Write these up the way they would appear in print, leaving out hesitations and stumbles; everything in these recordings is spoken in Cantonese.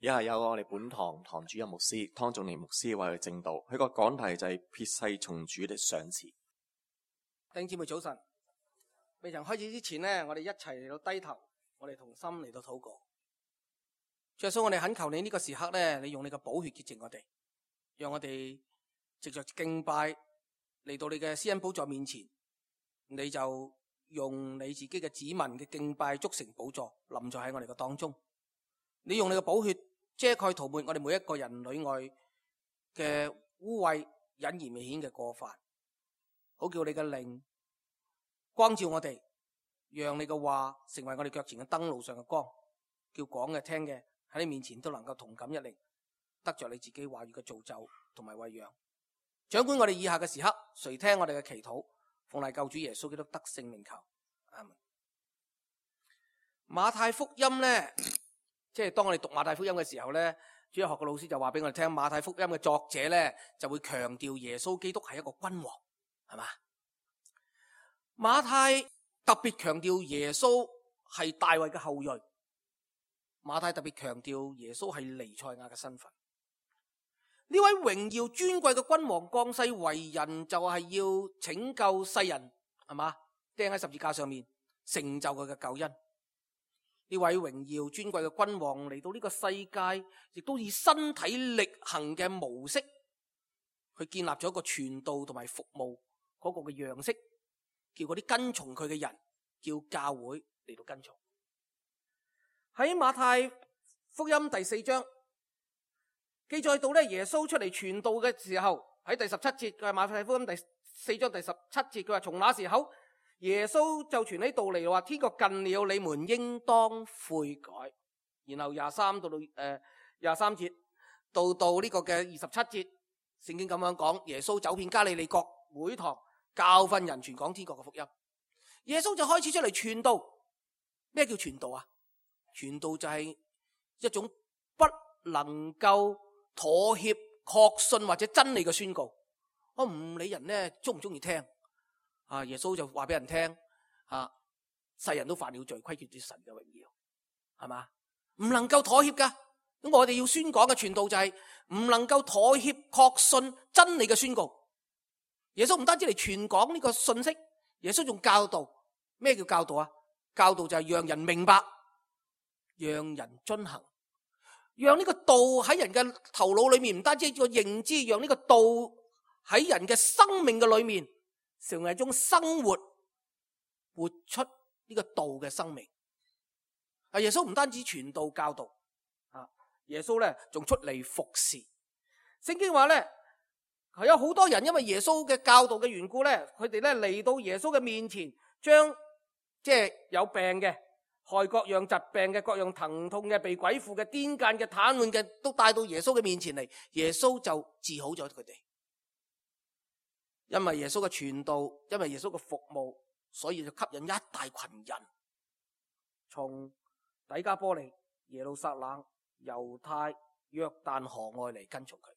以下有我哋本堂堂主任牧師湯仲年牧師為佢證道，佢個講題就係撇世從主的賞賜。弟兄姊妹早晨，未曾開始之前呢，我哋一齊嚟到低頭，我哋同心嚟到禱告。主耶穌，我哋懇求你呢個時刻呢，你用你嘅寶血潔淨我哋，讓我哋藉着敬拜嚟到你嘅施恩寶座面前，你就用你自己嘅子民嘅敬拜築成寶座，臨在喺我哋嘅當中。你用你嘅寶血遮蓋塗抹我哋每一個人裏外嘅污穢、隱而未顯嘅過犯，好叫你嘅靈光照我哋，讓你嘅話成為我哋腳前嘅燈路上嘅光，叫講嘅聽嘅喺你面前都能夠同感一靈，得着你自己話語嘅造就同埋餵養。掌管我哋以下嘅時刻，垂聽我哋嘅祈禱，奉賴救主耶穌基督得勝名求，阿門。馬太福音呢，即係當我哋讀馬太福音嘅時候呢，主日學嘅老師就話俾我哋聽，馬太福音嘅作者呢就會強調耶穌基督係一個君王，係嘛？馬太特別強調耶穌係大衛嘅後裔，馬太特別強調耶穌係彌賽亞嘅身份。呢位榮耀尊貴嘅君王降世為人，就係要拯救世人，係嘛？釘喺十字架上面，成就佢嘅救恩。呢位榮耀尊貴嘅君王嚟到呢個世界，亦都以身體力行嘅模式去建立咗一個傳道同埋服務嗰個嘅樣式，叫嗰啲跟從佢嘅人，叫教會嚟到跟從。喺馬太福音第4章記載到咧，耶穌出嚟傳道嘅時候，喺第17節，佢係馬太福音第4章第17節，佢話從那時候耶穌就傳起道嚟，話天國近了，你們應當悔改。然後23節到呢個嘅27節，聖經咁樣講，耶穌走遍加利利各會堂，教訓人，傳講天國嘅福音。耶穌就開始出嚟傳道。咩叫傳道啊？傳道就係一種不能夠妥協、確信或者真理嘅宣告。我唔理人呢中唔中意聽。耶穌就話俾人聽，世人都犯了罪，虧缺咗神嘅榮耀，係嘛？唔能夠妥協噶。咁我哋要宣講嘅傳道就係唔能夠妥協、確信真理嘅宣告。耶穌唔單止嚟傳講呢個信息，耶穌仲教導。咩叫教導啊？教導就係讓人明白，讓人遵行，讓呢個道喺人嘅頭腦裏面，唔單止一個認知，讓呢個道喺人嘅生命嘅裏面成為一種生活，活出呢個道嘅生命。耶穌唔單止傳道教導，耶穌咧仲出嚟服侍。聖經話咧，係有好多人因為耶穌嘅教導嘅緣故咧，佢哋咧嚟到耶穌嘅面前，將即係有病嘅、害各樣疾病嘅、各樣疼痛嘅、被鬼附嘅、癲癇嘅、癱瘓嘅，都帶到耶穌嘅面前嚟，耶穌就治好咗佢哋。因為耶穌嘅傳道，因為耶穌嘅服務，所以就吸引一大群人，從底加波利、耶路撒冷、猶太、約旦河外嚟跟從佢。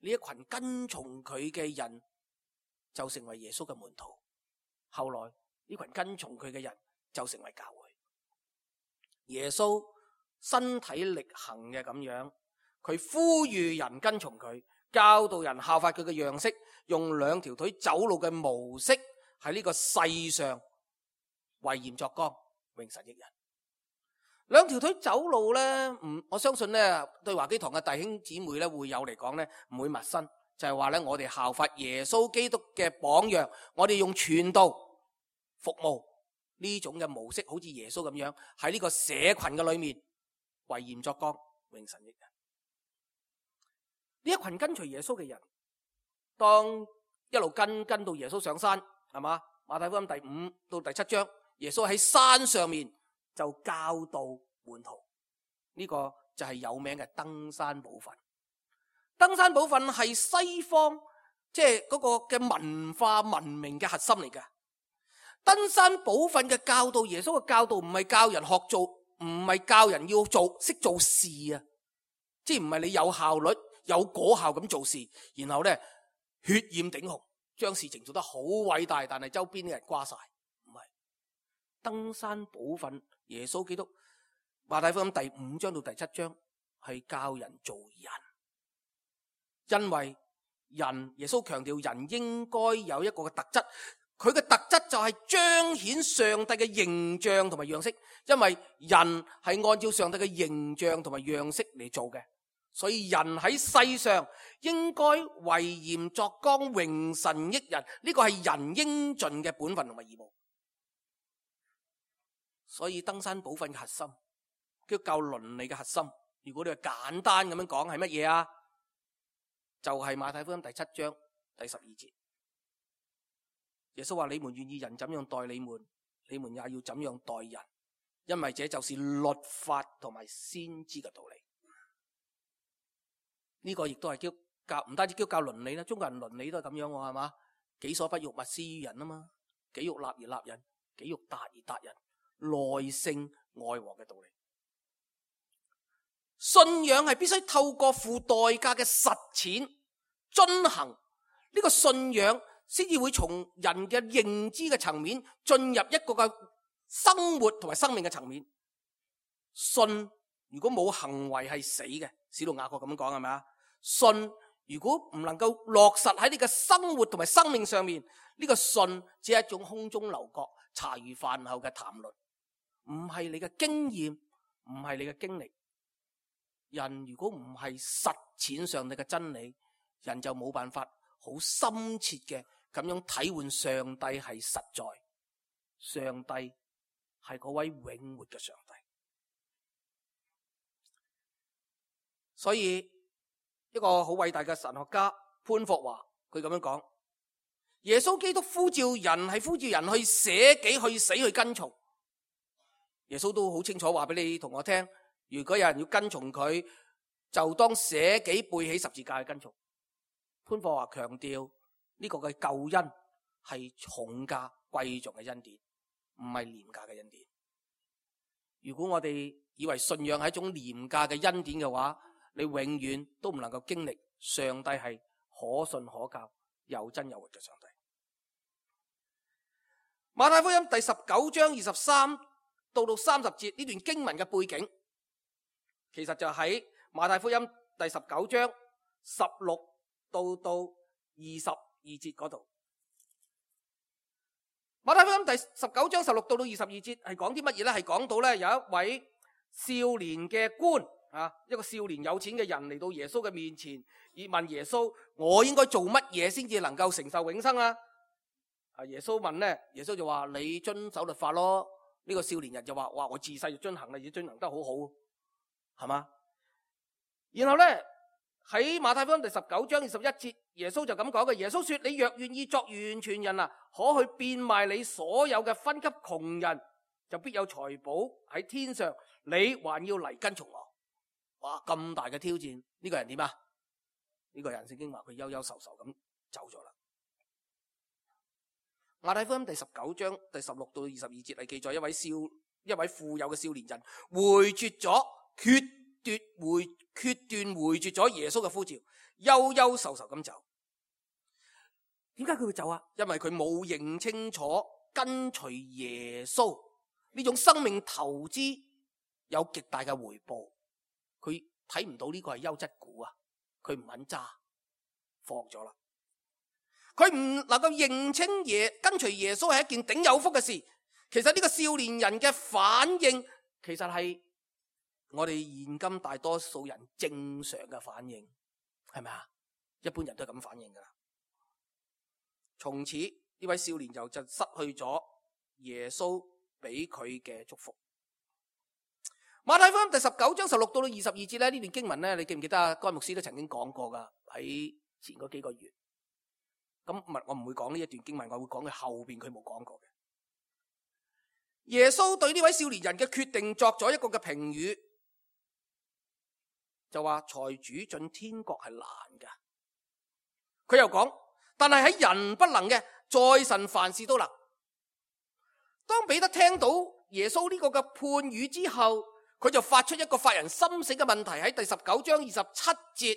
呢一群跟從佢嘅人就成為耶穌嘅門徒。後來呢群跟從佢嘅人就成為教會。耶穌身體力行嘅咁樣，佢呼籲人跟從佢，教導人效法佢嘅樣式，用兩條腿走路嘅模式喺呢個世上為鹽作光，榮神益人。兩條腿走路呢，我相信呢對華基堂嘅弟兄姊妹呢會有嚟講呢唔會陌生，就係話呢我哋效法耶穌基督嘅榜樣，我哋用傳道服務呢種嘅模式，好似耶穌咁樣喺呢個社群嘅裏面為鹽作光，榮神益人。呢一群跟隨耶穌嘅人，當一路跟到耶穌上山，係嘛？馬太福音第5到第7章，耶穌喺山上面就教導門徒，呢個就係有名嘅登山寶訓。登山寶訓係西方即係嗰個嘅文化文明嘅核心嚟㗎。登山寶訓嘅教導，耶穌嘅教導唔係教人學做，唔係教人要做識做事啊，即係唔係你有效率有果效咁做事，然後咧血染頂紅，將事情做得好偉大，但係周邊啲人瓜晒。唔係登山寶訓，耶穌基督馬太福音第5章到第7章係教人做人，因為人，耶穌強調人應該有一個嘅特質，佢嘅特質就係彰顯上帝嘅形象同埋樣式，因為人係按照上帝嘅形象同埋樣式嚟做嘅，所以人喺世上應該為鹽作光，榮神益人，呢個係人應盡嘅本分同埋義務。所以登山寶訓嘅核心，基督教倫理嘅核心，如果你係簡單咁樣講，係乜嘢啊？就係馬太福音第7章第12節，耶穌話：你們願意人怎樣待你們，你們也要怎樣待人，因為這就是律法同埋先知嘅道理。呢個亦都係基督教，唔單止基督教倫理啦，中國人倫理都係咁樣喎，係嘛？己所不欲，勿施於人啊嘛，己欲立而立人，己欲達而達人，內聖外王嘅道理。信仰係必須透過付代價嘅實踐遵行，呢個信仰先至會從人嘅認知嘅層面進入一個嘅生活同埋生命嘅層面。信如果冇行為係死嘅，使徒雅各咁樣講，係咪啊？信如果唔能夠落實喺你嘅生活同埋生命上面，呢個信只係一種空中樓閣、茶餘飯後嘅談論，唔係你嘅經驗，唔係你嘅經歷。人如果唔係實踐上帝嘅真理，人就冇辦法好深切嘅咁樣體會上帝係實在，上帝係嗰位永活嘅上帝。所以一個好偉大嘅神學家潘霍華，佢咁樣講：耶穌基督呼召人係呼召人去捨己、去死、去跟從。耶穌都好清楚話俾你同我聽，如果有人要跟從佢，就當捨己背起十字架去跟從。潘霍華強調呢個嘅救恩係重價貴重嘅恩典，唔係廉價嘅恩典。如果我哋以為信仰係一種廉價嘅恩典嘅話，你永遠都唔能夠經歷上帝係可信可靠、又真又活嘅上帝。馬太福音第19章23到30節呢段經文嘅背景，其實就喺馬太福音第19章16到22節嗰度。馬太福音第19章16到22節係講啲乜嘢呢？係講到咧有一位少年嘅官啊，一個少年有錢嘅人嚟到耶穌嘅面前，而問耶穌：我應該做乜嘢先至能夠承受永生啊？耶穌問呢，耶穌就話：你遵守律法咯。呢個少年人就話：哇，我自細就遵行啦，而遵行得好好，係嘛？然後呢，喺馬太福音第19章21節，耶穌就咁講嘅。耶穌說：你若願意作完全人啊，可去變賣你所有嘅分給窮人，就必有財寶喺天上。你還要嚟跟從我。哇，咁大嘅挑戰，呢個人點啊？呢個人聖經話佢憂憂愁愁咁走咗啦。馬太福音第19章第16到22節係記載一位富有嘅少年人回絕咗決斷回絕咗耶穌嘅呼召，憂憂愁愁咁走。點解佢會走啊？因為佢冇認清楚跟隨耶穌呢種生命投資有極大嘅回報，佢睇唔到呢個係優質股啊，佢唔肯揸，放咗啦。佢唔能夠認清跟隨耶穌係一件頂有福嘅事。其實呢個少年人嘅反應，其實係我哋現今大多數人正常嘅反應，係咪啊？一般人都係咁反應噶啦。從此呢位少年就失去咗耶穌俾佢嘅祝福。馬太福音第19章16到22節咧，呢段經文咧，你記唔記得啊？該牧師都曾經講過噶，喺前嗰幾個月。咁我唔會講呢一段經文，我會講佢後邊佢冇講過嘅。耶穌對呢位少年人嘅決定作咗一個嘅評語，就話財主進天國係難噶。佢又講，但係喺人不能嘅，在神凡事都能。當彼得聽到耶穌呢個嘅判語之後，佢就發出一個發人深省嘅問題。喺第19章27節，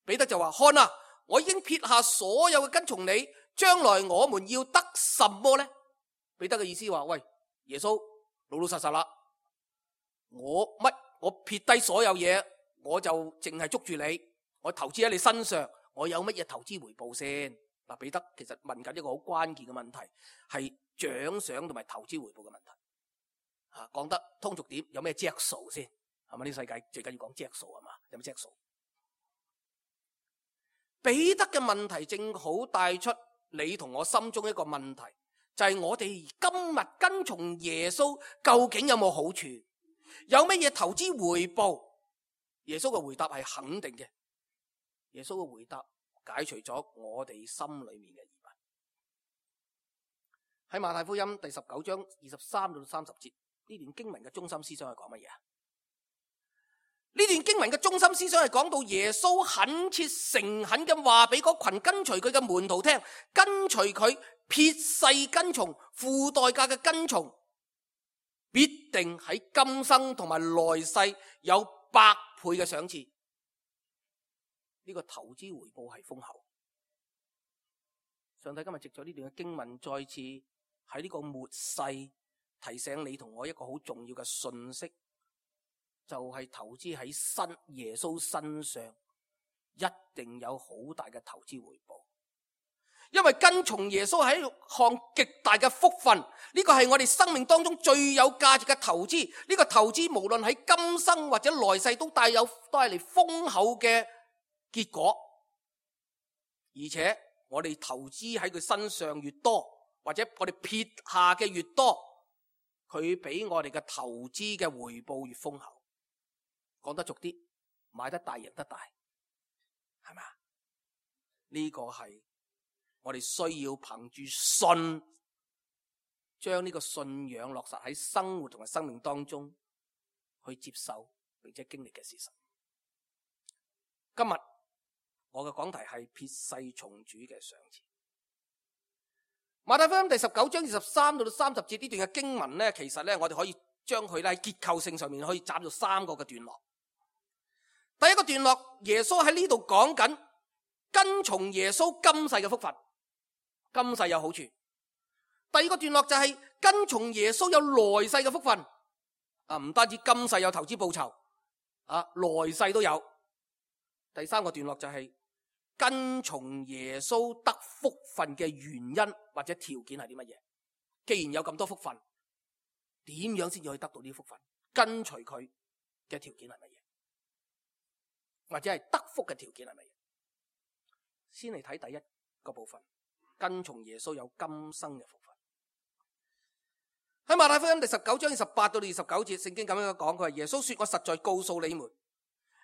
彼得就話：看啊，我已經撇下所有嘅跟從你，將來我們要得什麼呢？彼得嘅意思話：喂，耶穌，老老實實啦，我我撇低所有嘢，我就淨係捉住你，我投資喺你身上，我有乜嘢投資回報先？嗱，彼得其實問緊一個好關鍵嘅問題，係獎賞同埋投資回報嘅問題。講得通俗點，有咩著數先？係咪呢個世界最緊要講著數係嘛？有咩著數？彼得嘅問題正好帶出你同我心中一個問題，就係我哋今日跟從耶穌究竟有冇好處？有乜嘢投資回報？耶穌嘅回答係肯定嘅。耶穌嘅回答解除咗我哋心裏面嘅疑問。喺馬太福音第19章23到30節，呢段經文嘅中心思想係講乜嘢啊？呢段經文嘅中心思想係講到耶穌懇切誠懇咁話俾嗰群跟隨佢嘅門徒聽，跟隨佢撇世跟從，付代價嘅跟從，必定喺今生同埋來世有100倍嘅賞賜。呢個投資回報係豐厚。上帝今日藉咗呢段嘅經文，再次喺呢個末世提醒你同我一個好重要嘅信息，就係投資喺耶穌身上，一定有好大嘅投資回報。因為跟從耶穌係一項極大嘅福分，呢個係我哋生命當中最有價值嘅投資。呢個投資無論喺今生或者來世都帶嚟豐厚嘅結果。而且我哋投資喺佢身上越多，或者我哋撇下嘅越多，佢俾我哋嘅投資嘅回報越豐厚。講得俗啲，買得大贏得大，係咪啊？呢個係我哋需要憑住信，將呢個信仰落實喺生活同埋生命當中去接受並且經歷嘅事實。今日我嘅講題係撇世從主嘅賞賜。馬太福音第19章23到30節呢段嘅經文呢，其實呢，我哋可以將佢喺結構性上面可以斬到3個嘅段落。第一個段落，耶穌喺呢度講緊跟從耶穌今世嘅福分，今世有好處。第二個段落就係跟從耶穌有來世嘅福分，唔單止今世有投資報酬，來世都有。第三個段落就係跟從耶穌得福分嘅原因或者條件係啲乜嘢？既然有咁多福分，點樣先至可以得到呢啲福分？跟隨佢嘅條件係乜嘢？或者係得福嘅條件係乜嘢？先嚟睇第一個部分，跟從耶穌有今生嘅福分。喺馬太福音第19章28到29節，聖經咁樣講，佢話耶穌說：我實在告訴你們，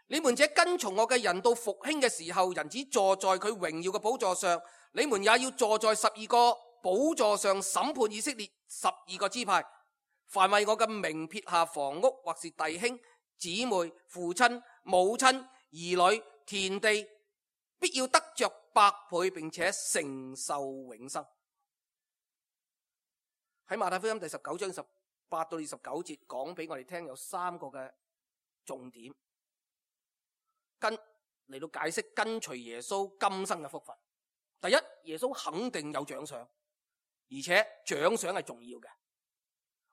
你們這跟從我嘅人到復興嘅時候，人子坐在佢榮耀嘅寶座上，你們也要坐在12個寶座上審判以色列12個支派。凡為我嘅名撇下房屋或是弟兄姊妹、父親母親、兒女、田地，必要得着100倍，並且承受永生。喺馬太福音第19章18到29節講俾我哋聽，有3個嘅重點，嚟到解釋跟隨耶穌今生嘅福分。第一，耶穌肯定有獎賞，而且獎賞係重要嘅。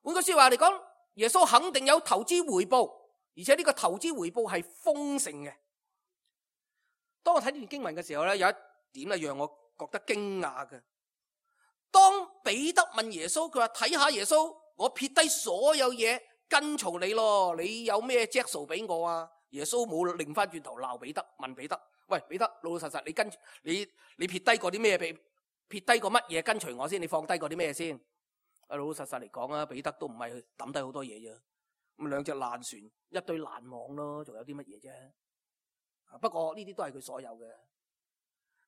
換句說話嚟講，耶穌肯定有投資回報，而且呢個投資回報係豐盛嘅。當我睇呢段經文嘅時候咧，有一點咧讓我覺得驚訝嘅。當彼得問耶穌，佢話睇下耶穌，我撇低所有嘢跟從你咯，你有咩著數俾我啊？耶穌冇擰翻轉頭鬧彼得，問彼得：喂，彼得，老老實實你撇低過啲咩？撇低過乜嘢跟隨我先？你放低過啲咩先？老老實實嚟講啊，彼得都唔係抌低好多嘢啫，咁2隻爛船，一堆爛網咯，仲有啲乜嘢啫？不過呢啲都係佢所有嘅。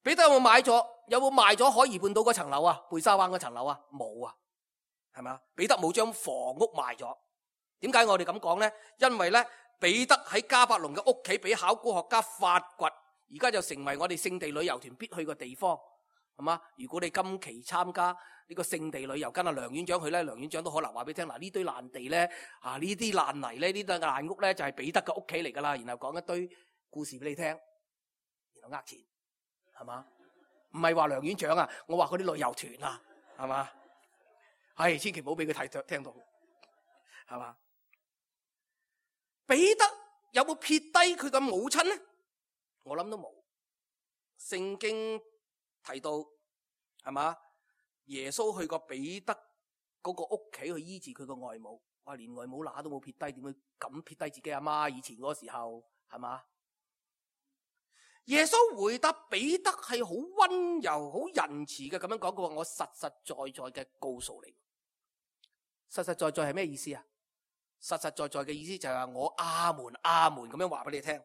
彼得有冇買咗？有冇賣咗海怡半島嗰層樓啊？貝沙灣嗰層樓啊？冇啊，係咪？彼得冇將房屋賣咗。點解我哋咁講呢？因為呢，彼得喺迦百農嘅屋企俾考古學家發掘，而家就成為我哋聖地旅遊團必去嘅地方，係嘛？如果你今期參加呢個聖地旅遊，跟阿梁院長去呢，梁院長都可能話俾你聽，嗱，呢堆爛地呢，呢啲爛泥呢，呢堆爛屋呢，就係彼得嘅屋企嚟噶啦，然後講一堆故事俾你聽，然後呃錢。係嘛？唔係話梁院長啊，我話嗰啲旅遊團啊，係嘛？係千祈唔好俾佢聽到，係嘛？彼得有冇撇低佢嘅母親呢？我諗都冇。聖經提到係嘛，耶穌去過彼得嗰個屋企去醫治佢個外母，哇，連外母乸都冇撇低，點會咁撇低自己阿媽？以前嗰個時候係嘛？耶穌回答彼得係好溫柔、好仁慈嘅咁樣講，佢話我實實在在嘅告訴你，實實在在係咩意思啊？實實在在嘅意思就係話我阿門阿門咁樣話俾你聽，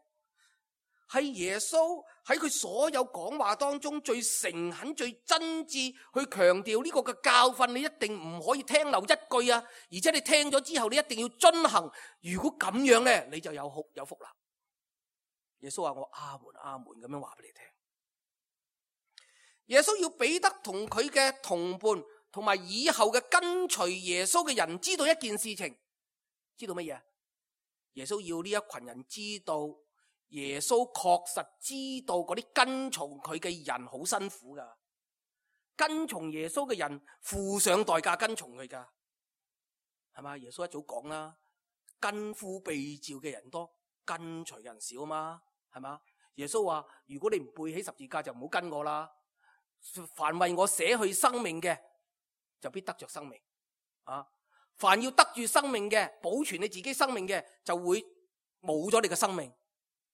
係耶穌喺佢所有講話當中最誠懇、最真摯去強調呢個嘅教訓，你一定唔可以聽漏一句啊！而且你聽咗之後，你一定要遵行。如果咁樣咧，你就有福啦。耶穌話我阿門阿門咁樣話俾你聽。耶穌要彼得同佢嘅同伴同埋以後嘅跟隨耶穌嘅人知道一件事情，知道乜嘢？耶穌要呢一群人知道，耶穌確實知道嗰啲跟從佢嘅人好辛苦噶，跟從耶穌嘅人付上代價跟從佢噶，係嘛？耶穌一早講啦，跟夫被召嘅人多，跟隨人少嘛，係嘛？耶穌話：如果你唔背起十字架，就唔好跟我啦。凡為我捨去生命嘅，就必得着生命。啊，凡要得住生命嘅，保存你自己生命嘅，就會冇咗你嘅生命。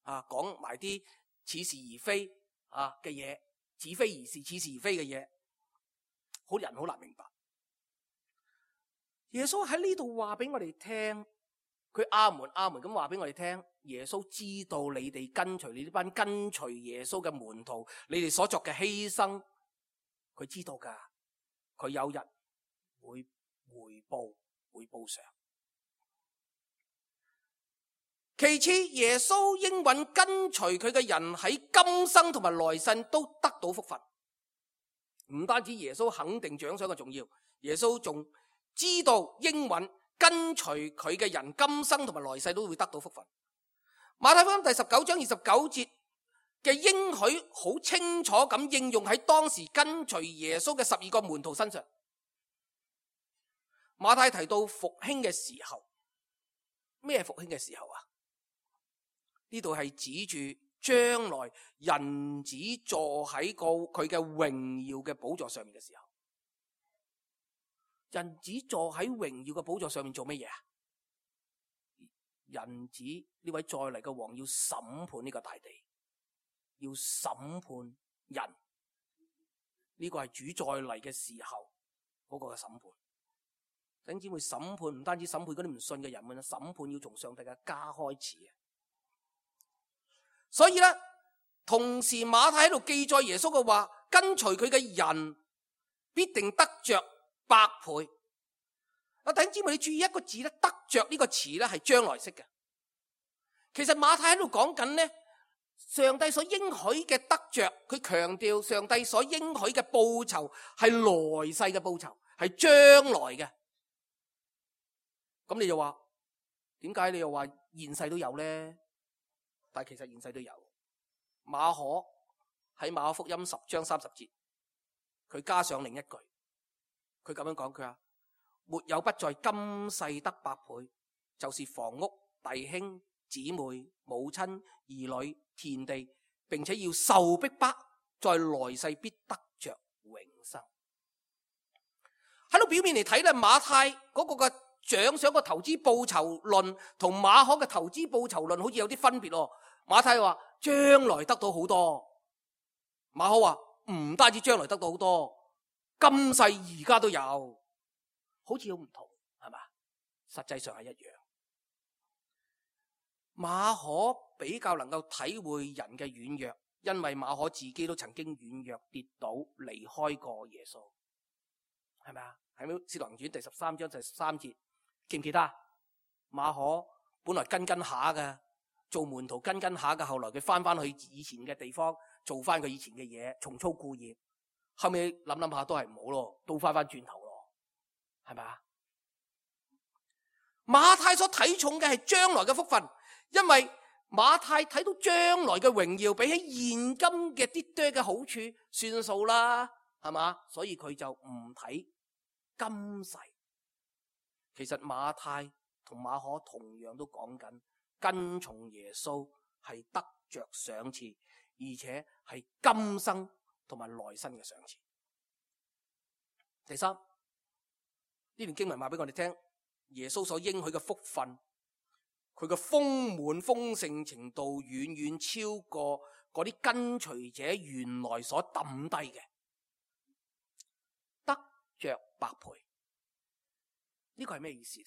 啊，講埋啲似是而非啊嘅嘢，似非而是，似是而非嘅嘢，好人好難明白。耶穌喺呢度話俾我哋聽，佢阿門阿門咁話俾我哋聽，耶穌知道你哋跟隨你呢班跟隨耶穌嘅門徒，你哋所作嘅犧牲，佢知道噶，佢有日會回報上。其次，耶穌應允跟隨佢嘅人喺今生同埋來世都得到福分。唔單止耶穌肯定獎賞嘅重要，耶穌仲知道應允跟隨佢嘅人今生同埋來世都會得到福分。馬太福音第19章29節嘅應許好清楚咁應用喺當時跟隨耶穌嘅12個門徒身上。馬太提到復興嘅時候，咩復興嘅時候啊？呢度係指住將來人子坐喺佢嘅榮耀嘅寶座上面嘅時候。人子坐喺榮耀嘅寶座上面做乜嘢啊？人子呢位再嚟嘅王要審判呢個大地，要審判人。呢個係主再嚟嘅時候嗰個嘅審判。弟兄姊妹，審判唔單止審判嗰啲唔信嘅人，審判要從上帝嘅家開始。所以咧，同時馬太喺度記載耶穌嘅話，跟隨佢嘅人必定得着百倍。弟兄姊妹，你注意一個字咧，得着呢個詞咧係將來式嘅。其實馬太喺度講緊咧，上帝所應許嘅得着，佢強調上帝所應許嘅報酬係來世嘅報酬，係將來嘅。咁你就話，點解你又話現世都有咧？但係其實現世都有。馬可喺馬可福音10章30節，佢加上另一句，佢咁樣講，佢話沒有不在今世得百倍，就是房屋、弟兄、姊妹、母親、兒女、田地，並且要受逼迫，在來世必得着永生。喺度表面嚟睇咧，馬太嗰個嘅獎賞個投資報酬論同馬可嘅投資報酬論好似有啲分別咯。馬太話將來得到好多，馬可話唔單止將來得到好多，今世而家都有，好似好唔同，係嘛？實際上係一樣。馬可比較能夠體會人嘅軟弱，因為馬可自己都曾經軟弱跌倒離開過耶穌，係咪啊？喺《使徒行傳》第13章第13節，記唔記得？馬可本來跟下嘅，做門徒跟下嘅，後來佢翻去以前嘅地方，做翻佢以前嘅嘢，重操故業。後尾諗下都係唔好咯，都翻轉頭咯，係咪啊？馬太所睇重嘅係將來嘅福分，因為馬太睇到將來嘅榮耀比起現今嘅啲多嘅好處算數啦，係嘛？所以佢就唔睇今世。其實馬太同馬可同樣都講緊跟從耶穌係得着賞賜，而且係今生同埋來生嘅賞賜。第三，呢段經文話俾我哋聽，耶穌所應許嘅福分，佢嘅豐滿豐盛程度遠遠超過嗰啲跟隨者原來所抌低嘅，得着百倍。呢個係咩意思？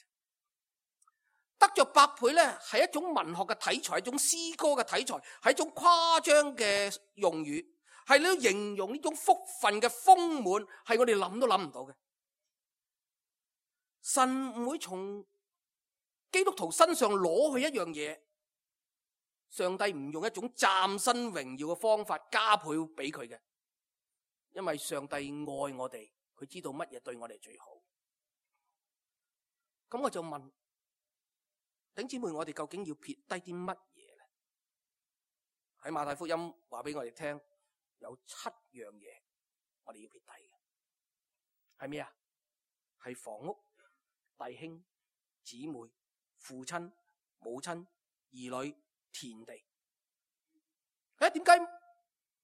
得着百倍咧，係一種文學嘅題材，一種詩歌嘅題材，係一種誇張嘅用語，係你要形容呢種福分嘅豐滿，係我哋諗都諗唔到嘅。神唔會從基督徒身上攞去一樣嘢，上帝唔用一種嶄新榮耀嘅方法加倍俾佢嘅，因為上帝愛我哋，佢知道乜嘢對我哋最好。咁我就問弟兄姊妹，我哋究竟要撇低啲乜嘢咧？喺馬太福音話俾我哋聽，有7樣嘢我哋要撇低嘅，係咩啊？係房屋、弟兄、姊妹、父親、母親、兒女、田地。點解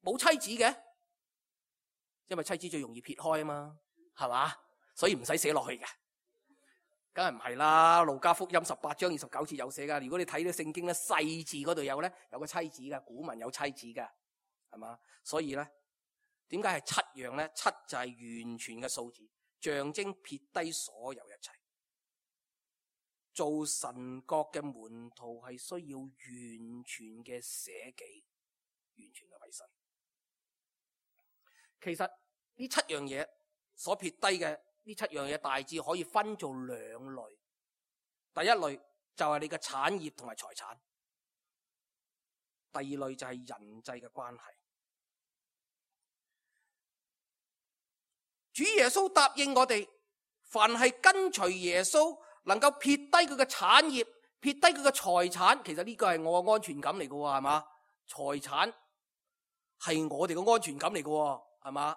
冇妻子嘅？因為妻子最容易撇開啊嘛，係嘛？所以唔使寫落去嘅。梗係唔係啦，路加福音18章29節有寫噶。如果你睇到聖經咧，細字嗰度有咧，有個妻子噶，古文有妻子噶，係嘛？所以咧，點解係7樣咧？7就係完全嘅數字，象徵撇低所有一切。做神國嘅門徒係需要完全嘅捨己，完全嘅委身。其實呢7樣嘢所撇低嘅。呢7樣嘢大致可以分做2類。第一類就係你嘅產業同埋財產，第二類就係人際嘅關係。主耶穌答應我哋，凡係跟隨耶穌，能夠撇低佢嘅產業，撇低佢嘅財產，其實呢個係我嘅安全感嚟嘅，係嘛？財產係我哋嘅安全感嚟嘅，係嘛？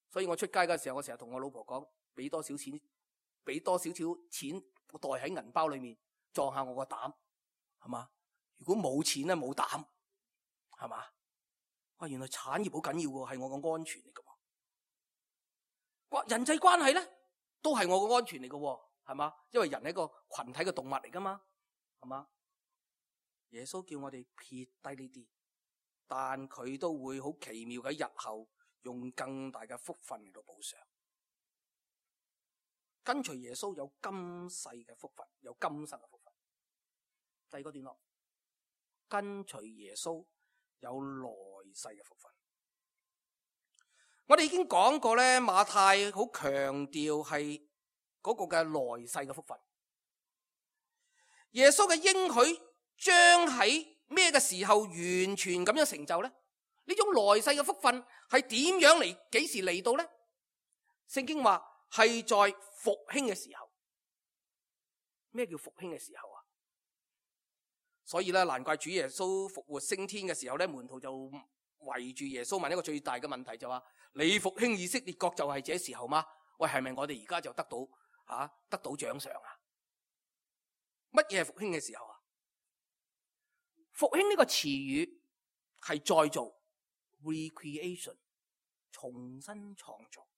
所以我出街嘅時候，我成日同我老婆講，俾多少錢我袋喺銀包裏面，撞下我個膽，係嘛？如果冇錢咧，冇膽，係嘛？哇，原來產業好緊要喎，係我個安全嚟嘅。人際關係咧，都係我個安全嚟嘅，係嘛？因為人係一個群體嘅動物嚟噶嘛，係嘛？耶穌叫我哋撇低呢啲，但佢都會好奇妙嘅日後。用更大嘅福分嚟到補償。跟隨耶穌有今世嘅福分，有今生嘅福分。第二個段落，跟隨耶穌有來世嘅福分。我哋已經講過咧，馬太好強調係嗰個嘅來世嘅福分。耶穌嘅應許將喺咩嘅時候完全咁樣成就咧？呢種來世嘅福分係點樣嚟？幾時嚟到呢？聖經話係在復興嘅時候。咩叫復興嘅時候啊？所以咧，難怪主耶穌復活升天嘅時候咧，門徒就圍住耶穌問一個最大嘅問題，就話：你復興以色列國就係這時候嗎？喂，係咪我哋而家就得到獎賞啊？乜嘢係復興嘅時候啊？復興呢個詞語係再造。recreation 重新創造。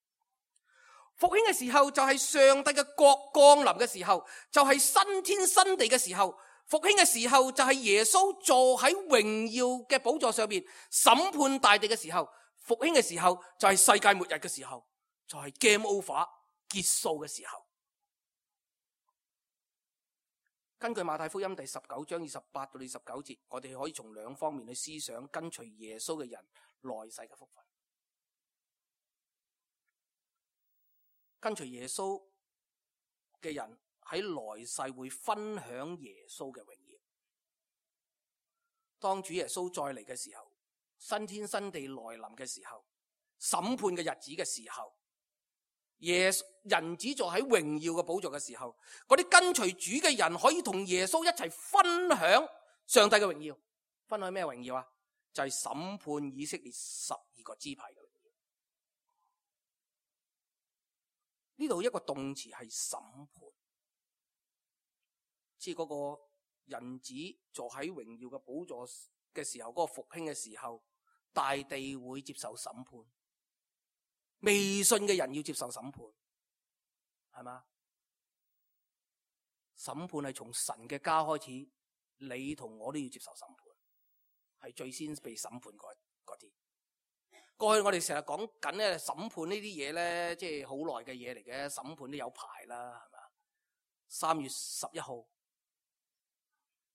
復興嘅時候就係上帝嘅國降臨嘅時候，就係新天新地嘅時候。復興嘅時候就係耶穌坐喺榮耀嘅寶座上面審判大地嘅時候。復興嘅時候就係世界末日嘅時候，就係 game over 結束嘅時候。根據馬太福音第19章28到29節，我哋可以從2方面去思想跟隨耶穌嘅人來世嘅福分。跟隨耶穌嘅人喺來世會分享耶穌嘅榮耀。當主耶穌再嚟嘅時候，新天新地來臨嘅時候，審判嘅日子嘅時候，人子坐喺榮耀嘅寶座嘅時候，嗰啲跟隨主嘅人可以同耶穌一齊分享上帝嘅榮耀。分享咩榮耀啊？就係審判以色列12個支派嘅榮耀。呢度一個動詞係審判，即係嗰個人子坐喺榮耀嘅寶座嘅時候，嗰個復興嘅時候，大地會接受審判。未信嘅人要接受審判，係嘛？審判係從神嘅家開始，你同我都要接受審判，係最先被審判嗰啲。過去我哋成日講緊咧審判呢啲嘢咧，即係好耐嘅嘢嚟嘅，審判都有排啦，係嘛？3月11號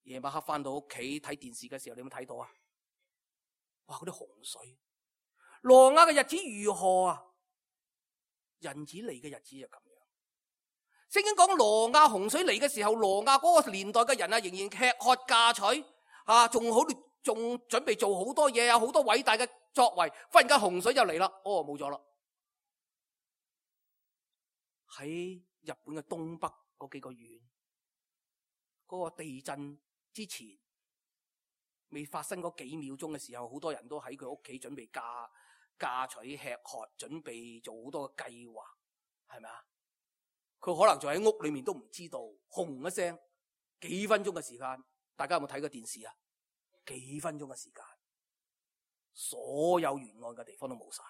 夜晚黑翻到屋企睇電視嘅時候，你有冇睇到啊？哇！嗰啲洪水，挪亞嘅日子如何啊？人子嚟嘅日子就咁樣。聖經講挪亞洪水嚟嘅時候，挪亞嗰個年代嘅人啊，仍然吃喝嫁娶啊，仲準備做好多嘢，有好多偉大嘅作為。忽然間洪水就嚟啦，冇咗啦。喺日本嘅東北嗰幾個縣，嗰個地震之前未發生嗰幾秒鐘嘅時候，好多人都喺佢屋企準備嫁娶吃喝，準備做好多嘅計劃，係咪啊？佢可能就喺屋裏面都唔知道，轟一聲，幾分鐘嘅時間，大家有冇睇過電視啊？幾分鐘嘅時間，所有沿岸嘅地方都冇晒。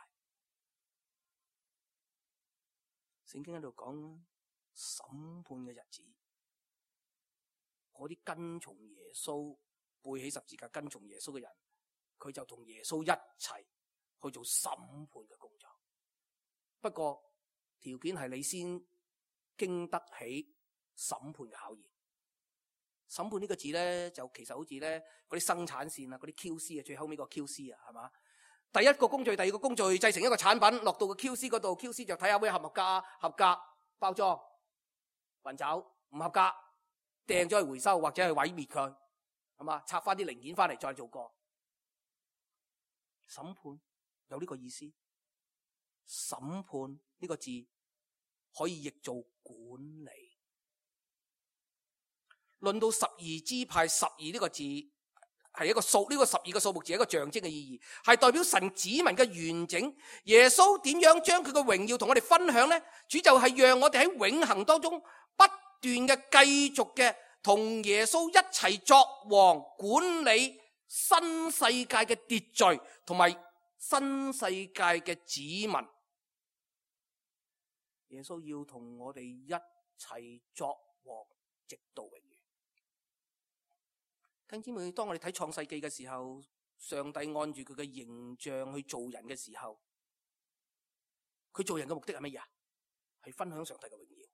聖經喺度講審判嘅日子，嗰啲跟從耶穌背起十字架跟從耶穌嘅人，佢就同耶穌一齊去做審判嘅工作。不過條件係你先經得起審判嘅考驗。審判呢個字咧，就其實好似咧嗰啲生產線啊，嗰啲 QC 啊，最後尾個 QC 啊，係嘛？第一個工序，第二個工序，製成一個產品，落到個 QC 嗰度 ，QC 就睇下會合唔合格，包裝運走，唔合格掟咗去回收或者去毀滅佢，係嘛？拆翻啲零件翻嚟再做過。審判有呢個意思，審判呢個字可以譯做管理。論到12支派，12呢個字係一個數，呢個12個數目字係一個象徵嘅意義，係代表神子民嘅完整。耶穌點樣將佢嘅榮耀同我哋分享呢？主就係讓我哋喺永恆當中不斷嘅繼續嘅同耶穌一齊作王，管理新世界嘅秩序同埋新世界嘅子民。耶穌要同我哋一齊作王，直到永遠。弟兄姊妹，當我哋睇創世記嘅時候，上帝按住佢嘅形象去做人嘅時候，佢做人嘅目的係乜嘢？係分享上帝嘅榮耀。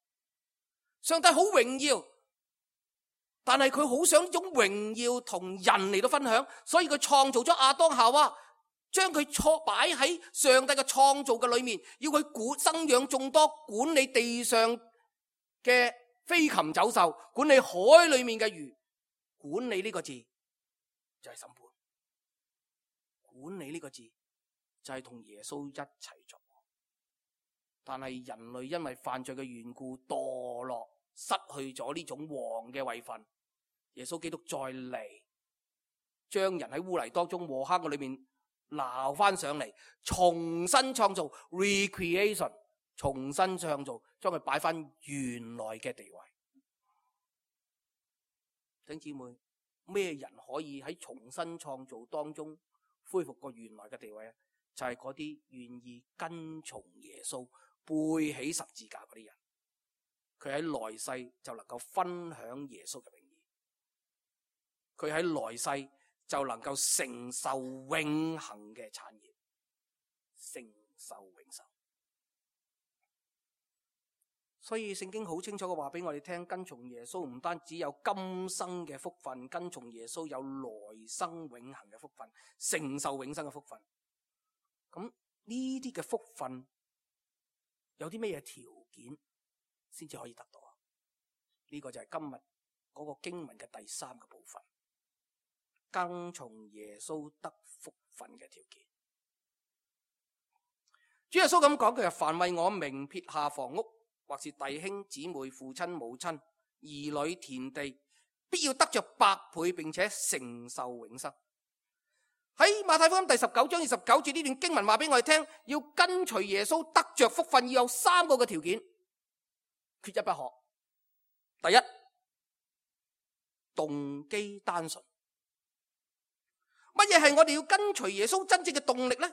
上帝好榮耀，但係佢好想呢種榮耀同人嚟到分享，所以佢創造咗亞當夏娃，將佢擺喺上帝嘅創造嘅裏面，要佢生養眾多，管理地上嘅飛禽走獸，管理海裏面嘅魚。管理呢個字就係審判，管理呢個字就係同耶穌一齊做。但係人類因為犯罪嘅緣故墮落，失去咗呢種王嘅位份。耶穌基督再嚟，將人喺污泥當中禍坑嘅裏面撈翻上嚟，重新創造 recreation， 重新創造，將佢擺翻原來嘅地位。弟兄姊妹，咩人可以喺重新創造當中恢復過原來嘅地位啊？就係嗰啲願意跟從耶穌、背起十字架嗰啲人，佢喺來世就能夠分享耶穌嘅榮耀，佢喺來世就能夠承受永恆嘅產業，承受永生。所以聖經好清楚嘅話俾我哋聽，跟從耶穌唔單止有今生嘅福分，跟從耶穌有來生永恆嘅福分，承受永生嘅福分。咁呢啲嘅福分有啲咩嘢條件先至可以得到啊？呢個就係今日嗰個經文嘅第3個部分，跟從耶穌得福分嘅條件。主耶穌咁講，佢係凡為我名撇下房屋，或是弟兄姊妹、父親母親、兒女、田地，必要得着100倍，並且承受永生。喺馬太福音第19章29節呢段經文話俾我哋聽，要跟隨耶穌得着福分，要有3個嘅條件，缺一不可。第一，動機單純。乜嘢係我哋要跟隨耶穌真正嘅動力呢？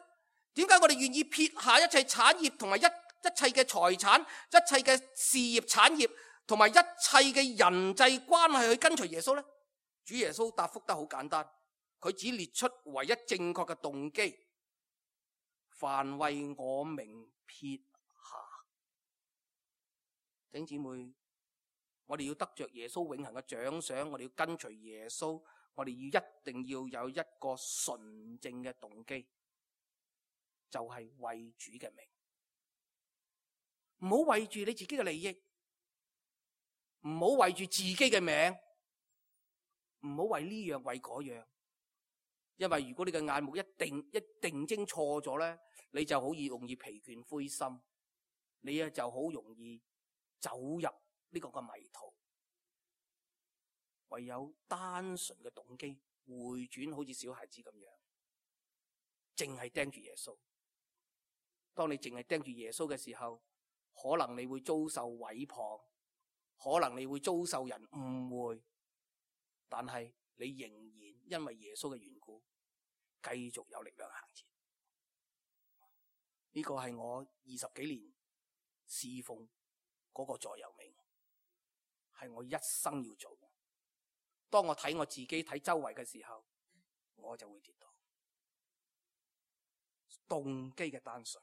點解我哋願意撇下一切產業同埋一切嘅財產、一切嘅事業產業同埋一切嘅人際關係去跟隨耶穌呢？主耶穌答覆得好簡單，佢只列出唯一正確嘅動機：凡為我名撇下。弟兄姊妹，我哋要得着耶穌永恆嘅獎賞，我哋要跟隨耶穌，我哋一定要有一個純正嘅動機，就係為主嘅名。唔好為住你自己嘅利益，唔好為住自己嘅名，唔好為呢樣為嗰樣。因為如果你嘅眼目一定睛錯咗咧，你就好容易疲倦灰心，你就好容易走入呢個迷途。唯有單純嘅動機，回轉好似小孩子咁樣，淨係盯住耶穌。當你淨係盯住耶穌嘅時候，可能你會遭受毀謗，可能你會遭受人誤會，但係你仍然因為耶穌嘅緣故，繼續有力量行前。呢個係我20幾年侍奉嗰個座右銘，係我一生要做嘅。當我睇我自己睇周圍嘅時候，我就會跌倒。動機嘅單純，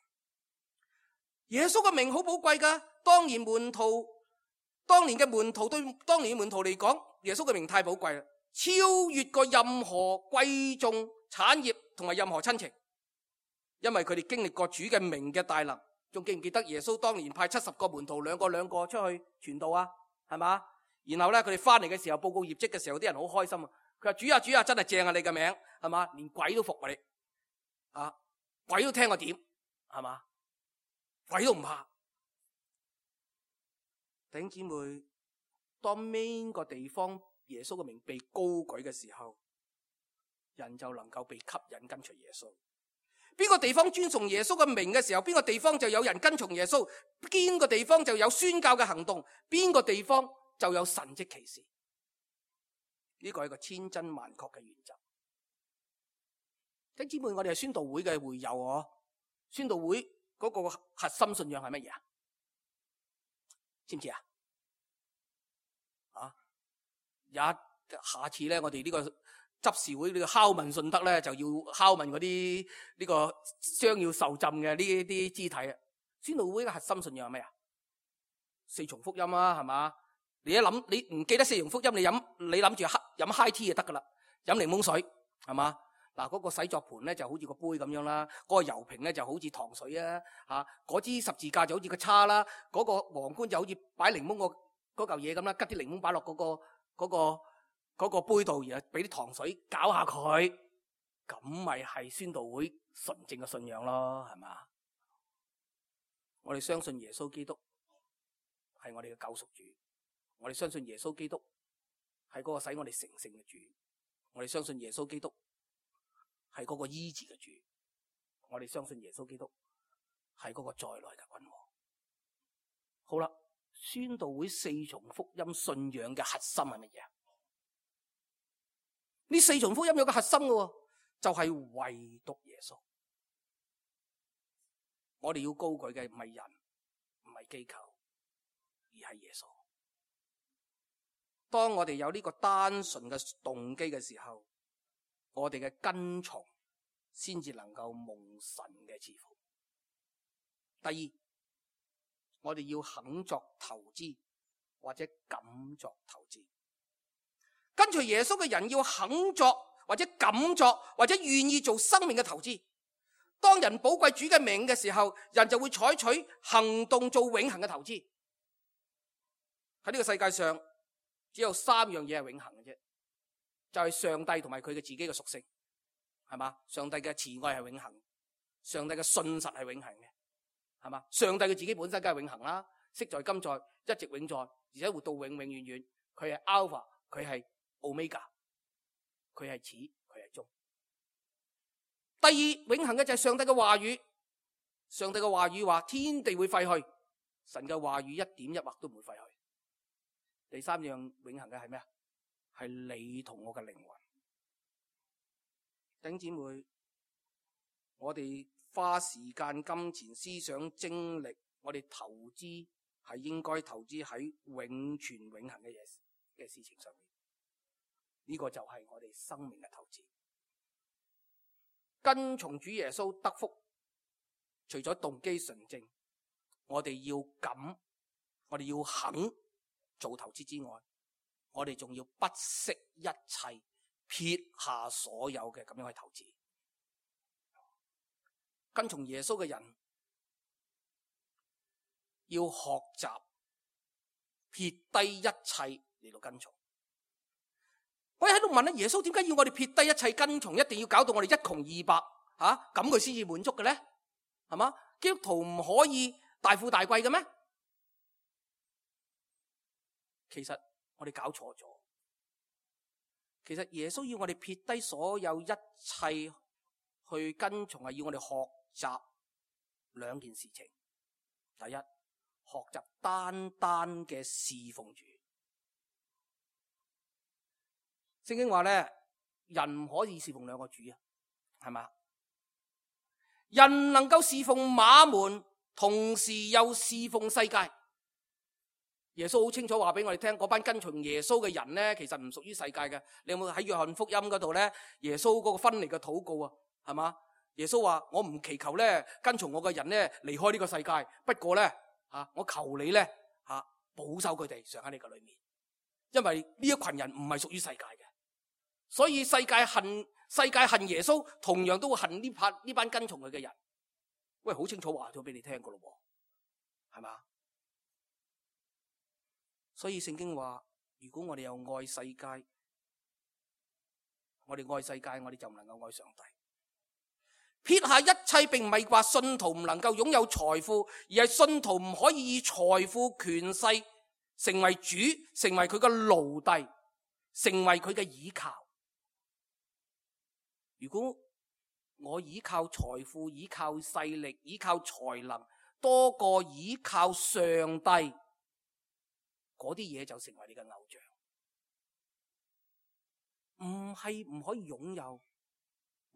耶穌嘅名好寶貴噶。當年嘅門徒對當年嘅門徒嚟講，耶穌嘅名太寶貴啦，超越過任何貴重產業同埋任何親情。因為佢哋經歷過主嘅名嘅大能。仲記唔記得耶穌當年派70個門徒兩個出去傳道啊？係嘛？然後咧，佢哋翻嚟嘅時候報告業績嘅時候，啲人好開心啊！佢話：主啊，真係正啊！你嘅名係嘛？連鬼都服啊你啊！鬼都聽我點係嘛？鬼都唔怕。弟兄姊妹，當邊個地方耶穌嘅名被高舉嘅時候，人就能夠被吸引跟隨耶穌。邊個地方尊崇耶穌嘅名嘅時候，邊個地方就有人跟從耶穌，邊個地方就有宣教嘅行動，邊個地方就有神蹟奇事。呢個係一個千真萬確嘅原則。弟兄姊妹，我哋係宣道會嘅會友哦。宣道會嗰個核心信仰係乜嘢啊？知唔知啊？下次咧，我哋呢個執事會呢個敲問信德咧，就要敲問嗰啲呢個將要受浸嘅呢啲肢體啊。宣道會嘅核心信仰係咩啊？4重福音啊，係嘛？你一諗你唔記得4重福音，你諗住飲 high tea 就得噶啦，飲檸檬水係嘛？嗱，嗰個洗作盤咧就好似個杯咁樣啦，嗰個油瓶咧就好似糖水啊，嗰支十字架就好似個叉啦，嗰個皇冠就好似擺檸檬嗰嚿嘢咁啦，吉啲檸檬擺落嗰個杯度，然後俾啲糖水攪下佢，咁咪係宣道會純正嘅信仰咯，係嘛？我哋相信耶穌基督係我哋嘅救贖主，我哋相信耶穌基督係嗰個使我哋成聖嘅主，我哋相信耶穌基督係嗰個醫治嘅主，我哋相信耶穌基督係嗰個再來嘅君王。好啦，宣道會4重福音信仰嘅核心係乜嘢？呢4重福音有個核心嘅，就係唯獨耶穌。我哋要高舉嘅唔係人，唔係機構，而係耶穌。當我哋有呢個單純嘅動機嘅時候，我哋嘅跟從先至能夠蒙神嘅賜福。第二，我哋要肯作投資或者敢作投資。跟隨耶穌嘅人要肯作或者敢作或者願意做生命嘅投資。當人寶貴主嘅名嘅時候，人就會採取行動做永恆嘅投資。喺呢個世界上只有3樣嘢係永恆嘅啫，就係上帝同埋佢嘅自己嘅屬性，係嘛？上帝嘅慈愛係永恆，上帝嘅信實係永恆嘅，係嘛？上帝嘅自己本身梗係永恆啦，昔在今在一直永在，而且活到永永遠遠。佢係 Alpha， 佢係 Omega， 佢係始，佢係終。第二，永恆嘅就係上帝嘅話語。上帝嘅話語話天地會廢去，神嘅話語一點一畫都唔會廢去。第3樣永恆嘅係咩啊？係你同我嘅靈魂。弟兄姊妹，我哋花時間、金錢、思想、精力，我哋投資係應該投資喺永存永恆嘅事情上面。呢個就係我哋生命嘅投資。跟從主耶穌得福，除咗動機純正，我哋要敢，我哋要肯做投資之外，我哋仲要不惜一切，撇下所有嘅咁樣去投資。跟從耶穌嘅人要學習撇低一切嚟到跟從。我喺度問耶穌點解要我哋撇低一切跟從，一定要搞到我哋一窮二白咁佢先至滿足嘅咧？係嘛？基督徒唔可以大富大貴嘅咩？其實我哋搞錯咗。其實耶穌要我哋撇低所有一切去跟從，係要我哋學習兩件事情。第一，學習單單嘅侍奉主。聖經話咧，人唔可以侍奉兩個主啊，係嘛？人能夠侍奉馬門，同時又侍奉世界。耶穌好清楚話俾我哋聽，嗰班跟從耶穌嘅人咧，其實唔屬於世界嘅。你有冇喺約翰福音嗰度咧？耶穌嗰個分離嘅禱告啊，係嘛？耶穌話：我唔祈求咧跟從我嘅人咧離開呢個世界，不過咧我求你咧保守佢哋常喺你嘅裏面，因為呢一群人唔係屬於世界嘅。所以世界恨耶穌，同樣都會恨呢班跟從佢嘅人。喂，好清楚話咗俾你聽噶咯，係嘛？所以聖經話，如果我哋又愛世界，我哋就唔能夠愛上帝。撇下一切，並唔係話信徒唔能夠擁有財富，而係信徒唔可以以財富、權勢成為主，成為佢嘅奴隸，成為佢嘅倚靠。如果我依靠財富、依靠勢力、依靠才能多過依靠上帝，嗰啲嘢就成為你嘅偶像。唔係唔可以擁有，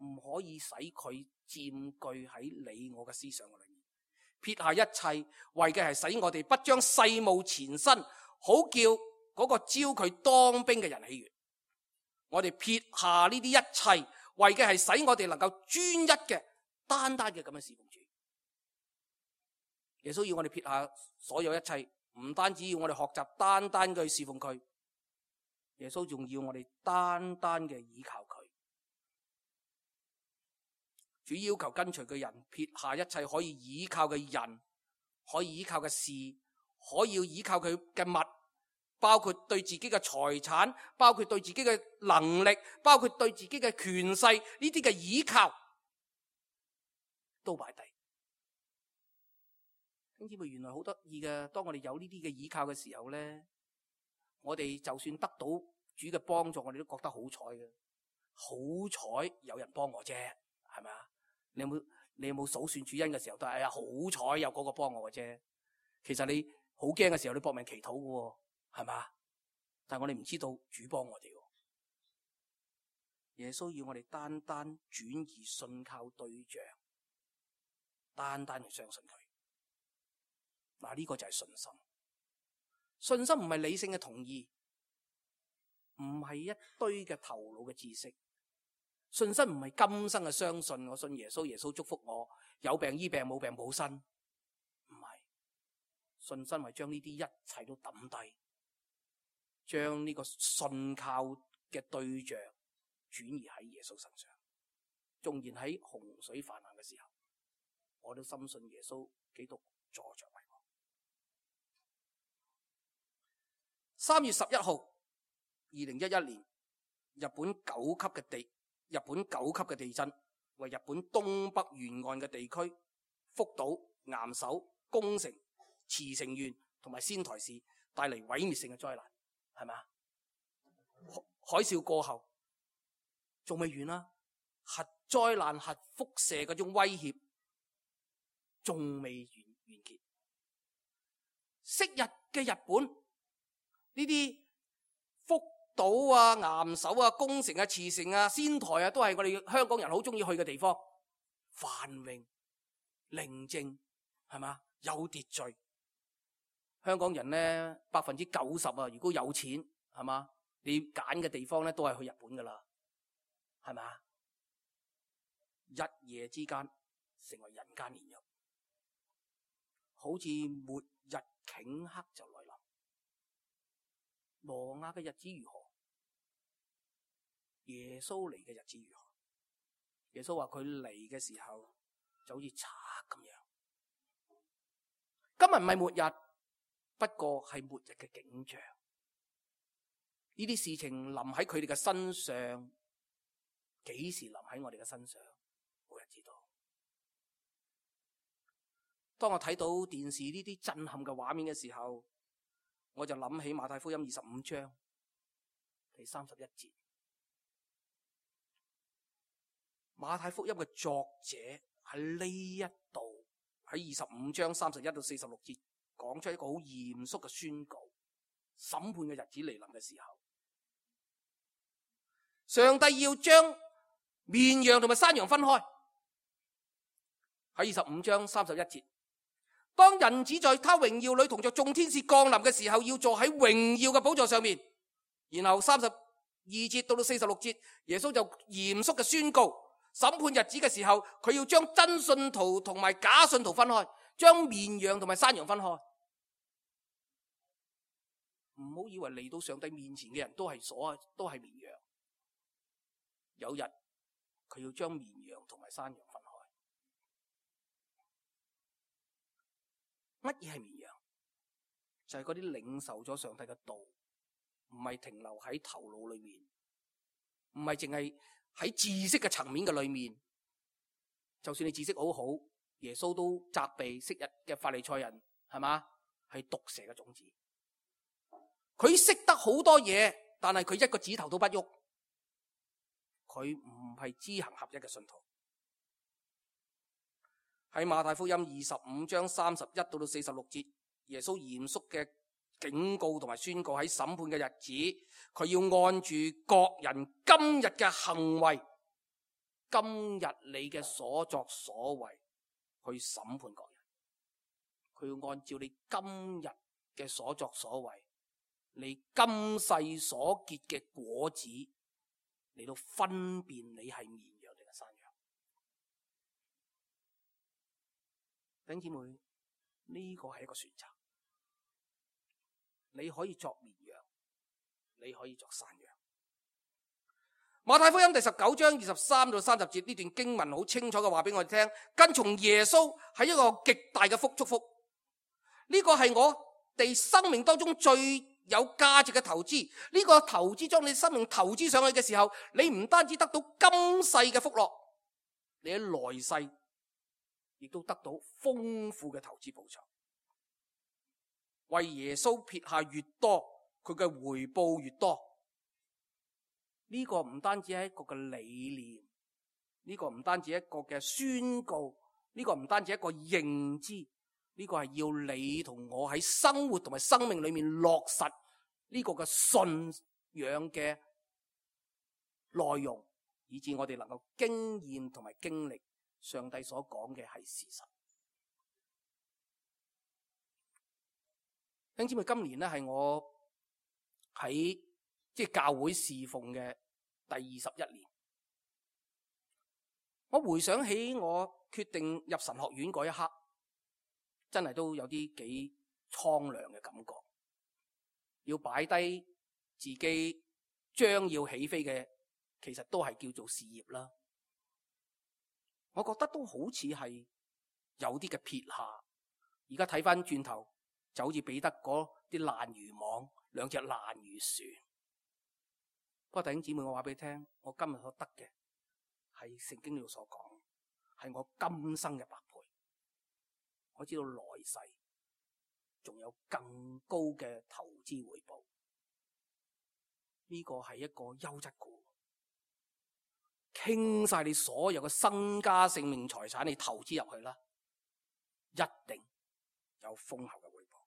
唔可以使佢佔據喺你我嘅思想裏面。撇下一切，為嘅係使我哋不將世務纏身，好叫嗰個招佢當兵嘅人喜悅。我哋撇下呢啲一切，為嘅係使我哋能夠專一嘅、單單嘅咁樣侍奉主。耶穌要我哋撇下所有一切，唔單止要我哋學習單單嘅侍奉佢，耶穌仲要我哋單單嘅倚靠佢。主要求跟隨嘅人撇下一切可以倚靠嘅人，可以倚靠嘅事，可以倚靠佢嘅物，包括對自己嘅財產，包括對自己嘅能力，包括對自己嘅權勢，呢啲嘅倚靠都擺低。兄姊妹，原來好得意嘅，當我哋有呢啲嘅倚靠嘅時候咧，我哋就算得到主嘅幫助，我哋都覺得好彩嘅。好彩有人幫我啫，係咪啊？你有冇數算主恩嘅時候都係好彩有嗰個幫我嘅啫。其實你好驚嘅時候，你搏命祈禱嘅，係嘛？但係我哋唔知道主幫我哋。耶穌要我哋單單轉移信靠對象，單單去相信佢。嗱，呢個就係信心。信心唔係理性嘅同意，唔係一堆嘅頭腦嘅知識。信心唔係今生嘅相信，我信耶穌，耶穌祝福我，有病醫病，冇病冇身。唔係，信心係將呢啲一切都抌低，將呢個信靠嘅對象轉移喺耶穌身上。縱然喺洪水泛濫嘅時候，我都深信耶穌基督坐著為王。3月11號2011年，日本9級嘅地震，為日本東北沿岸嘅地區福島、岩手、宮城、茨城縣同埋仙台市帶嚟毀滅性嘅災難，係咪？海嘯過後仲未完啦，核災難、核輻射嗰種威脅仲未完結。昔日嘅日本呢啲福島啊、岩手啊、宮城啊、茨城啊、仙台啊，都係我哋香港人好中意去嘅地方，繁榮、寧靜，係嘛？有秩序。香港人咧90%啊，如果有錢，係嘛？你揀嘅地方咧都係去日本噶啦，係嘛？一夜之間成為人間煉獄，好似末日頃刻就來臨。挪亞嘅日子如何？耶穌嚟嘅日子如何？耶穌話佢嚟嘅時候就好似賊咁樣。今日唔係末日，不過係末日嘅景象。呢啲事情臨喺佢哋嘅身上，幾時臨喺我哋嘅身上，冇人知道。當我睇到電視呢啲震撼嘅畫面嘅時候，我就諗起馬太福音25章第31節。馬太福音嘅作者喺呢一度喺25章31到46節講出一個好嚴肅嘅宣告：審判嘅日子嚟臨嘅時候，上帝要將綿羊同埋山羊分開。喺25章31節，當人子在他榮耀裏同着眾天使降臨嘅時候，要坐喺榮耀嘅寶座上面。然後32節到46節，耶穌就嚴肅嘅宣告，審判日子嘅時候，佢要將真信徒同埋假信徒分開，將綿羊同埋山羊分開。唔好以為嚟到上帝面前嘅人都係綿羊，有日佢要將綿羊同埋山羊分開。乜嘢係綿羊？就係嗰啲領受咗上帝嘅道，唔係停留喺頭腦裏面，唔係淨係喺知識嘅層面嘅裏面。就算你知識好好，耶穌都責備昔日嘅法利賽人，係嘛？係毒蛇嘅種子。佢識得好多嘢，但係佢一個指頭都不喐。佢唔係知行合一嘅信徒。喺馬太福音25章31到46節，耶穌嚴肅嘅警告同埋宣告，喺審判嘅日子，佢要按住各人今日嘅行為，今日你嘅所作所為去審判各人。佢要按照你今日嘅所作所為，你今世所結嘅果子嚟到分辨你係綿羊定係山羊。弟兄姊妹，呢個係一個選擇。你可以作綿羊，你可以作山羊。馬太福音第19章23到30節，呢段經文好清楚嘅話俾我哋聽，跟從耶穌係一個極大嘅祝福。呢個係我哋生命當中最有價值嘅投資。呢個投資將你生命投資上去嘅時候，你唔單止得到今世嘅福樂，你喺來世亦都得到豐富嘅投資報酬。為耶穌撇下越多，佢嘅回報越多。呢個唔單止係一個嘅理念，呢個唔單止一個嘅宣告，呢個唔單止一個認知，呢個係要你同我喺生活同埋生命裏面落實呢個嘅信仰嘅內容，以致我哋能夠經驗同埋經歷上帝所講嘅係事實。弟兄姊妹，今年咧係我喺教會侍奉嘅第21年。我回想起我決定入神學院嗰一刻，真係都有啲幾蒼涼嘅感覺。要擺低自己將要起飛嘅，其實都係叫做事業啦。我覺得都好似係有啲嘅撇下。而家睇翻轉頭，就好似彼得嗰啲爛魚網，兩隻爛魚船。不過弟兄姊妹，我話俾你聽，我今日所得嘅係聖經呢度所講，係我今生嘅百倍。我知道來世仲有更高嘅投資回報。呢個係一個優質股，傾晒你所有嘅身家性命財產，你投資入去啦，一定有豐厚嘅回報。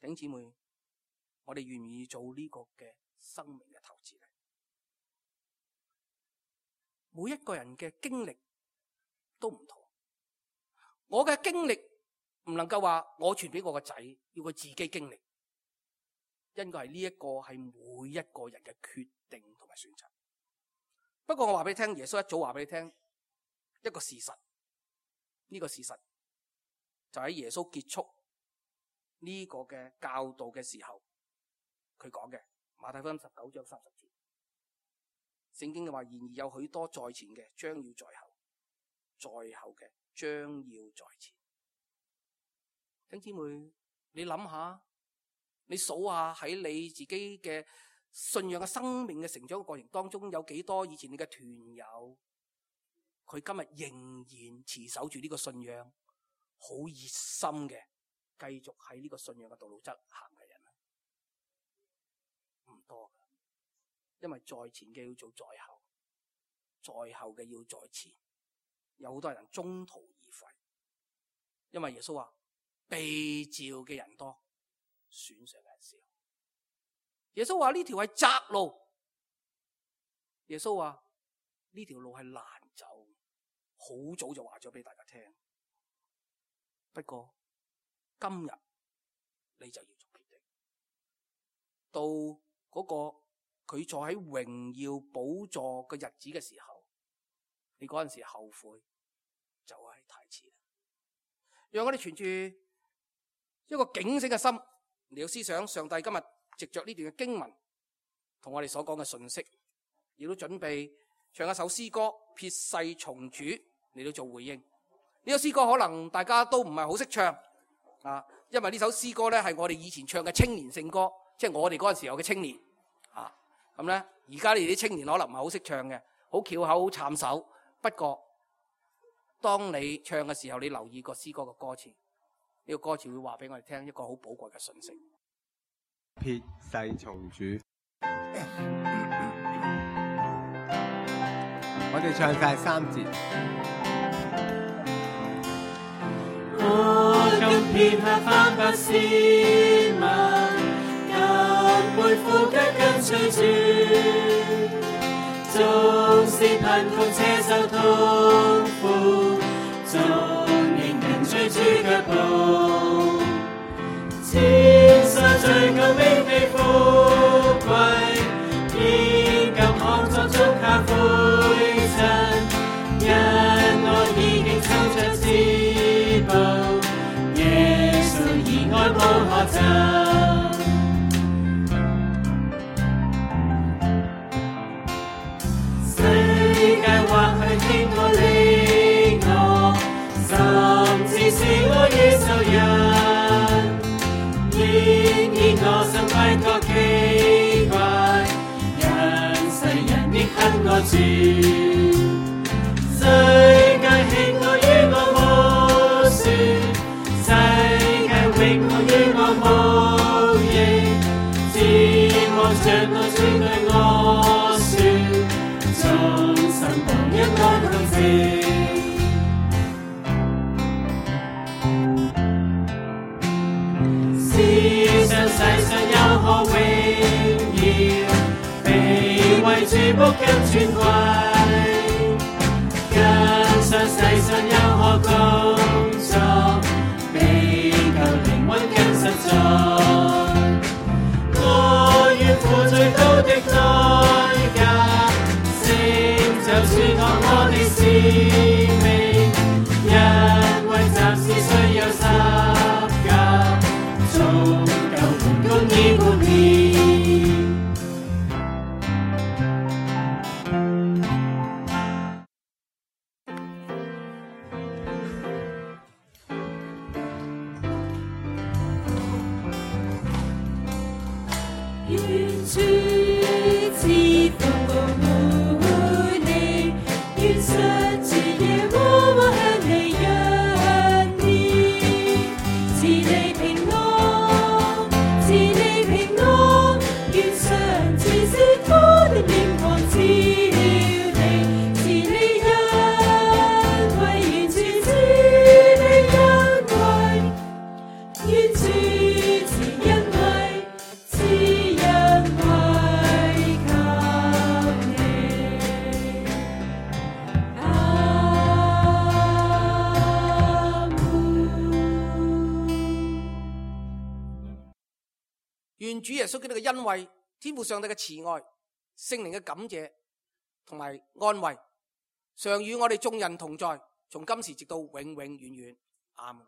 弟兄姊妹，我哋願唔願意做呢個嘅生命嘅投資呢？每一個人嘅經歷都唔同，我嘅經歷唔能夠話我傳俾我個仔，要佢自己經歷，因為係呢一個係每一個人嘅決定同埋選擇。不過我話俾你聽，耶穌一早話俾你聽一個事實，呢個事實就喺耶穌結束呢個嘅教導嘅時候，佢講嘅馬太福音19章30節，聖經嘅話，然而有許多在前嘅將要在後，在後嘅將要在前。弟兄姊妹，你諗下，你數下喺你自己嘅信仰嘅生命嘅成長嘅過程當中，有幾多以前你嘅團友，佢今日仍然持守住呢個信仰，好熱心嘅，繼續喺呢個信仰嘅道路側行嘅人咧？唔多㗎，因為在前嘅要做在後，在後嘅要在前，有好多人中途而廢，因為耶穌話被召嘅人多，選上嘅人少。耶穌話呢條係窄路，耶穌話呢條路係難走，好早就話咗俾大家聽。不過今日你就要做決定，到嗰個佢坐喺榮耀寶座嘅日子嘅時候，你嗰陣時後悔就係太遲啦。讓我哋存住一個警醒嘅心嚟到思想上帝今日藉着呢段嘅經文同我哋所講嘅信息，亦都準備唱一首詩歌撇世從主嚟到做回應。呢首詩歌可能大家都唔係好識唱啊，因為呢首詩歌咧係我哋以前唱嘅青年聖歌，即係我哋嗰陣時候嘅青年啊。咁咧而家你哋啲青年可能唔係好識唱嘅，好翹口好慘手。不過當你唱嘅時候，你留意個詩歌嘅歌詞，呢個歌詞會話俾我哋聽一個好寶貴嘅信息。撇世從主，我哋唱晒3節。我今撇下翻百斯文，更背負腳跟隨主，縱是貧窮且受痛苦，縱仍跟隨主腳步。千山追求永被富貴，現今行作足下灰塵，因我已經抽出至寶，耶穌以愛無可爭。世界或許輕我離我，甚至是我與仇人，我心歸覺奇怪，因世人亦恨我主。世界喜愛與我無算，世界永愛與我無益，只望着我主對我說，終身當一愛同情。世上有何榮耀，被為主僕跟尊貴，跟上世上有何工作，比救靈魂更實在。我願付最高的代價，成就主託我的使命，因為暫時需有十架，公義冠冕。願主賜福保護你，願實至夜晚主耶穌基督嘅恩惠、天父上帝嘅慈愛、聖靈嘅感謝同埋安慰，常與我哋眾人同在，從今時直到永永遠遠。阿們。